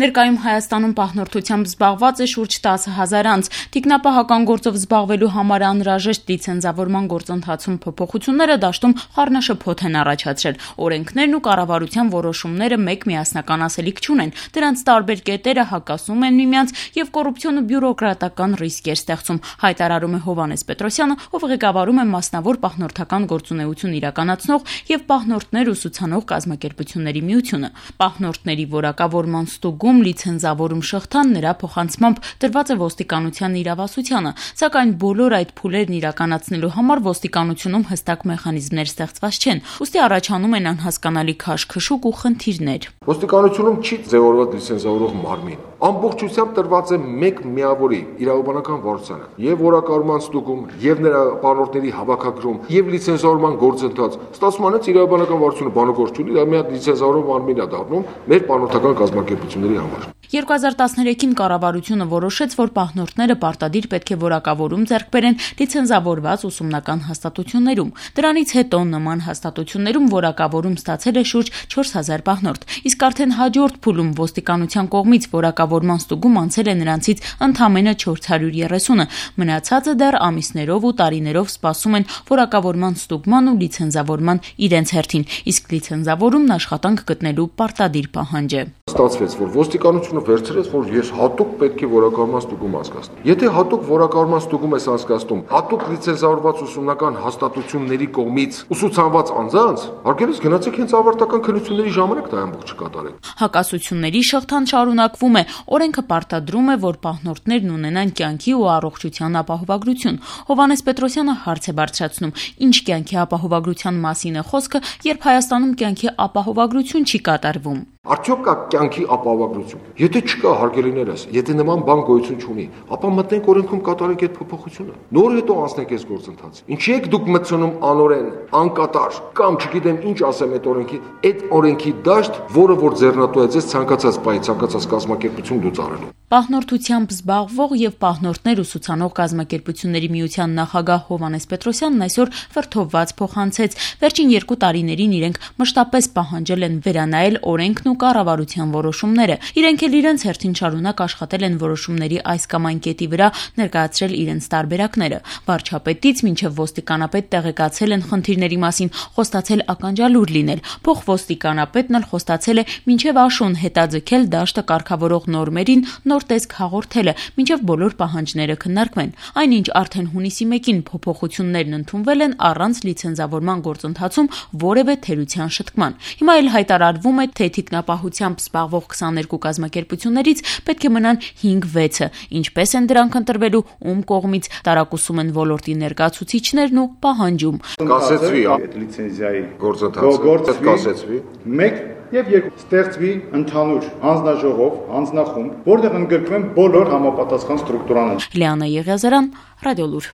Ներկայում Հայաստանում պահնորդությամբ զբաղված է շուրջ 10,000 անձ։ Թիկնապահական գործով զբաղվելու համար անհրաժեշտ լիցենզավորման գործընթացում փոփոխությունները դաշտում խառնաշփոթ են առաջացրել։ Օրենքներն ու կառավարության որոշումները մեկ միասնական ասելիք չունեն։ Դրանց տարբեր կետերը հակասում են միմյանց եւ կոռուպցիոն ու բյուրոկրատական ռիսկ է ստեղծում, հայտարարում է Հովհաննես Պետրոսյանը, ով ղեկավարում է մասնավոր պահնորդական գործունեություն իրականացնող եւ պահնորդներ ուսուցանող կազմակերպությունների միությունը։ Պահնորդների որակավորման ստուգում լիցենզավորում շղթան նրա փոխանցմամբ տրված է ոստիկանության իրավասությանը, սակայն բոլոր այդ փուլերն իրականացնելու համար ոստիկանությունում հստակ մեխանիզմներ ստեղծված չեն, ուստի առաջանում են անհասկանալի քաշքշուկ ու խնդիրներ։ Ոստիկանությունում չի ձևավորված լիցենզավորող մարմին։ Ամբողջությամբ տրված է մեկ միավորի իրավաբանական վարչությանը եւ որակավորման ստուգում, եւ նրա պահնորդների հավաքագրում, եւ լիցենզավորման գործընթաց։ Ստացվում է, իրավաբանական վարչությունը բանագործ չունի, դա մի հատ լիցենզավորող մարմին է դառնում մեր պահնորդական կազմակերպությունների համար։ 2013-ին կառավարությունը որոշեց, որ պահնորդները պարտադիր պետք է որակավորում ձեռք բերեն լիցենզավորված ուսումնական հաստատություններում։ Դրանից հետո նման հաստատություններում որակավորում ստացել է շուրջ 4000 պահնորդ, իսկ արդեն հաջորդ փուլում ոստիկանության կողմից որակավորման ստուգում անցել է նրանցից ընդամենը 430-ը, մնացածը դեռ ամիսներով ու տարիներով սպասում են որակավորման ստուգման ու լիցենզավորման իրենց հերթին, իսկ լիցենզավորումն աշխատանք գտնելու պարտադիր պահանջ է։ Ստացվեց, որ ոստիկանությունը վերցրեց, որ ես հատուկ պետք է որակավորման ստուգում անցկացնեմ։ Եթե հատուկ որակավորման ստուգում ես անցկացնում հատուկ լիցենզավորված ուսումնական հաստատությունների կողմից ուսուցանված անձանց, հարգելիս գնացեք հենց ավարտական քննությունների ժամանակ դա ամբողջը կատարեք։ Հակասությունների շղթան շարունակվում է։ Օրենքը պարտադրում է, որ պահնորդներն ունենան կյանքի ու առողջության ապահովագրություն։ Հովհաննես Պետրոսյանը հարց է բարձրացնում. ինչ կյանքի ապահովագրության մասին է խոսքը, երբ Հայաստանում կյանքի ապահովագրություն չի կատարվում։ Արդյոք կա կյանքի ապահովագրություն։ Եթե չկա, հարգելիներս, եթե նման բան գոյություն չունի, ապա մտնենք օրենքում կատարենք այդ փոփոխությունը։ Նոր հետո անցնենք այս գործընթացը։ Ինչի եք դուք մտցնում անօրեն, անկատար, կամ չգիտեմ ինչ ասեմ այդ օրենքի դաշտ, որը որ ձեռնատու է ձեզ ցանկացած պահի, ցանկացած կազմակերպություն դուց արելու։ Պահնորդությամբ զբաղվող եւ պահնորդներ ուսուցանող կազմակերպությունների միության նախագահ Հովհաննես Պետրոսյանն այսօր վրթովված փոխանցեց. վերջին 2 տարիներին իրենք մշտապես պահանջել են վերանայել օրենքն ու կառավարության որոշումները։ Իրենք էլ իրենց հերթին շարունակ աշխատել են որոշումների այս կամ այն կետի վրա, ներկայացրել իրենց տարբերակները։ Վարչապետից մինչև ոստիկանապետ տեղեկացել են խնդիրների մասին, խոստացել ականջալուր լինել։ Փոխոստիկանապետն էլ խոստացել է մինչև աշուն հետաձգել դաշտը կարգավորող նորմերին նոր տեսք հաղորդելը, մինչև բոլոր պահանջները քննարկվեն։ Այնինչ արդեն հունիսի 1-ին փոփոխություններն ընդունվել են առանց լիցենզավորման գործընթացում որևէ թերության շտկման։ Հիմա էլ հայտարարվում է, թե թիկնապահությամբ զբաղվող 22 կազմակերպություններից պետք է մնան 5-6-ը։ Ինչպես են դրանք ընտրվելու, ում կողմից, տարակուսում են ոլորտի ներկայացուցիչներն ու պահանջում։ Կասեցվի այդ լիցենզիայի գործընթացը, կասեցվի։ 1 եւ 2 ստեղծվի ընդհանուր հանձնաժողով, հանձնախումբ, որտեղ ընդգրկվեն բոլոր համապատասխան ստրուկտուրաներ։ Լիանա Եղիազարյան, Ռադիոլուր։